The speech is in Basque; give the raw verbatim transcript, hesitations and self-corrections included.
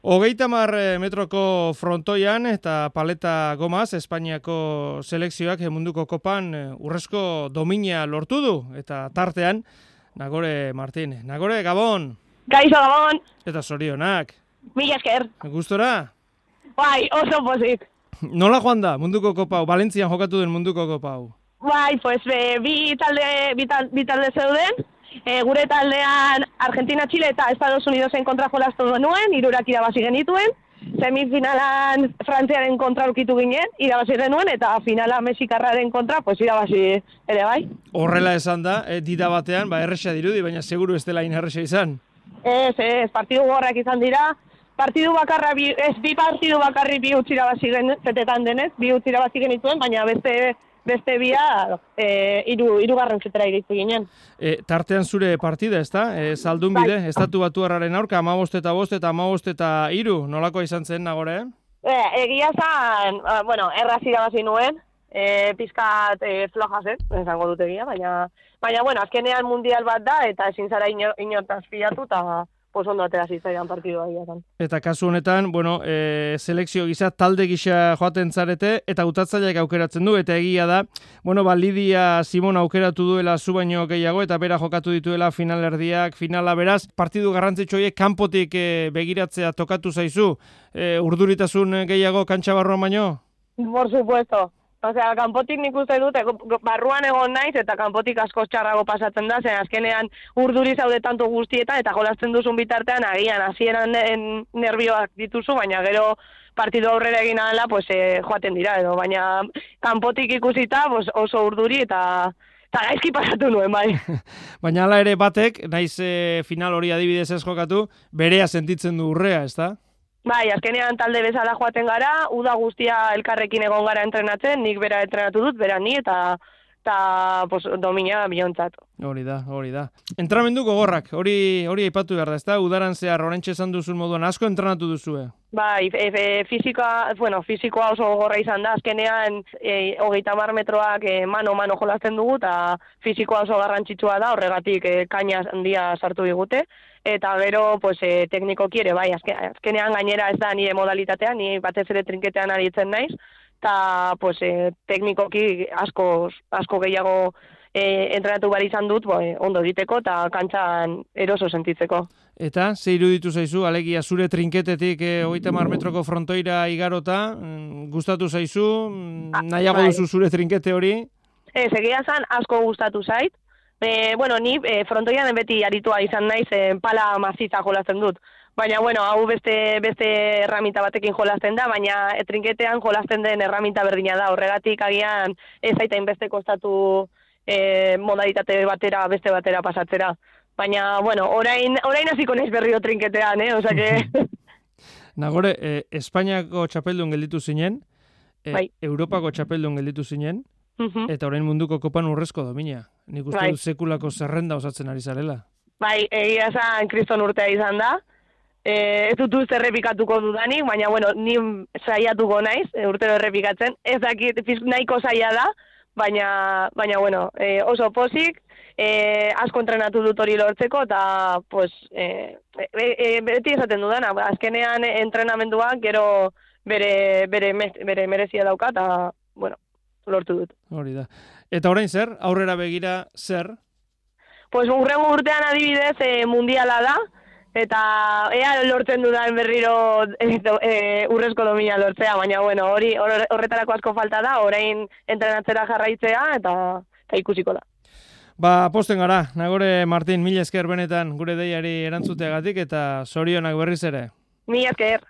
Hogeita hamar metroko frontoian eta paleta gomaz Espainiako selekzioak munduko kopan urrezko domina lortu du. Eta tartean, Nagore Martin. Nagore, Gabon! Gaixo, Gabon! Eta zorionak. Mila esker. Gustora? Bai, oso pozik. Nola joan da munduko kopa hau? Valentzian jokatu den munduko kopa hau? Bai, pues be, bi talde, bi talde, bi talde zeuden. E, gure taldean Argentina, Chile eta Estados Unidosen kontra jolastu genuen, hirurak irabazi genituen. Semifinalan Frantziaren kontra aurkitu ginen, irabazi genuen, eta finala Mexikarraren kontra, pues irabazi ere bai. Horrela esan da, e, dida batean, ba, erresa dirudi, baina seguru ez dela erresa izan. Ez, ez, partidu gorrak izan dira. Partidu bakarra, bi, ez bi partidu bakarri bi utzi irabazi genuen, zetetan denez, bi utzi irabazi genituen, baina beste... Beste bia, e, iru, irugarren zetera iritu ginen. E, tartean zure partida, ez da? E, Zaldun bide, bai. Estatu Batuarraren aurka, amabost eta bost eta amabost eta iru, nolako izan zen, Nagore? E, egia zan, bueno, erraz irabazi nuen, e, pizkat e, floja zen, esango dut egia, baina, baina, bueno, azkenean mundial bat da, eta ezin zara inor, inortaz pilatu, eta pos ondo atera zitzaidan partidua egia zan. Eta kasu honetan, bueno, e, selekzio gisa, talde gisa joaten zarete, eta utatzaileak aukeratzen du, eta egia da, bueno, ba, Lidia Simon aukeratu duela zu baino gehiago, eta bera jokatu dituela finalerdiak, finala beraz, partidu garrantzitsu horiek kanpotik e, begiratzea tokatu zaizu, e, urduritasun gehiago kantxa barruan baino? Por supuesto. Osea, kanpotik nik uste dut, barruan egon naiz, eta kanpotik asko txarrago pasatzen da, zen azkenean urduri zaude tanto guztietan, eta jolasten duzun bitartean, agian, hasieran nervioak dituzu, baina gero partidu aurrera egin adela, pues, eh, joaten dira, edo, baina kanpotik ikusita pues, oso urduri, eta eta gaizki pasatu nuen, bai. Baina hala ere batek, naiz eh, final hori adibidez ez jokatu, berea sentitzen du urrea, ezta? Bai, azkenean talde bezala joaten gara, uda guztia elkarrekin egon gara entrenatzen, nik bera entrenatu dut, bera ni, eta eta pues, domina biontzat. Hori da, hori da. Entramendu gogorrak, hori hori aipatu behar da, ezta? Udaran zehar, orentxe esan duzun moduan, asko entrenatu duzue? Bai, e, e, fizikoa, bueno, fizikoa oso gogorra izan da, azkenean e, hogeita hamar metroak e, mano-mano jolasten dugu, eta fizikoa oso garrantzitsua da, horregatik e, kaina handia sartu digute. Eta gero, pues, eh, teknikoki ere, bai, azkenean gainera ez da nire modalitatea, ni batez ere trinketean aritzen naiz, eta, pues, eh, teknikoki asko, asko gehiago eh, entrenatu behar izan dut, boi, ondo diteko eta kantxan eroso sentitzeko. Eta, ze iruditu zaizu, alegia zure trinketetik eh, hogeita hamar metroko frontoira igarota, mm, gustatu zaizu, mm, nahiago duzu zure trinkete hori? Ez, egia zan, asko gustatu zait. E, bueno, ni e, frontoian beti aritua izan naiz, e, pala maziza jolasten dut. Baina, bueno, hau beste beste erramita batekin jolasten da, baina e, trinketean jolasten den erramita berdina da. Horregatik agian ez aitain beste kostatu e, modalitate batera, beste batera pasatzera. Baina, bueno, orain, orain hasiko naiz berriro trinketean, eh? Osa que... Nagore, eh, Espainiako txapeldun gelditu zinen, eh, bai. Europako txapeldun gelditu zinen, eta orain munduko kopan urrezko domina. Nik uste bai. dut sekulako zerrenda osatzen ari zarela. Bai, egia esan kriston urtea izan da. E, ez dut uste errepikatuko dudanik, baina, bueno, ni saiatuko naiz, urtero errepikatzen. Ez dakit nahiko saia da, baina, baina bueno, e, oso pozik, e, asko entrenatu dut hori lortzeko, eta, pues, e, e, e, beti esaten dudana, azkenean entrenamenduak gero bere, bere, bere merezia dauka, eta, bueno, lortu dut. Hori da. Eta orain zer? Aurrera begira zer? Pues urrengo urtean adibidez e, mundiala da, eta ea lortzen dudan berriro e, e, urrezko domina lortzea, baina bueno, hori horretarako asko falta da, orain entrenatzera jarraitzea, eta, eta ikusiko da. Ba, posten gara, Nagore Martin, mila esker benetan gure deiari erantzuteagatik, eta zorionak berriz ere. Mila esker.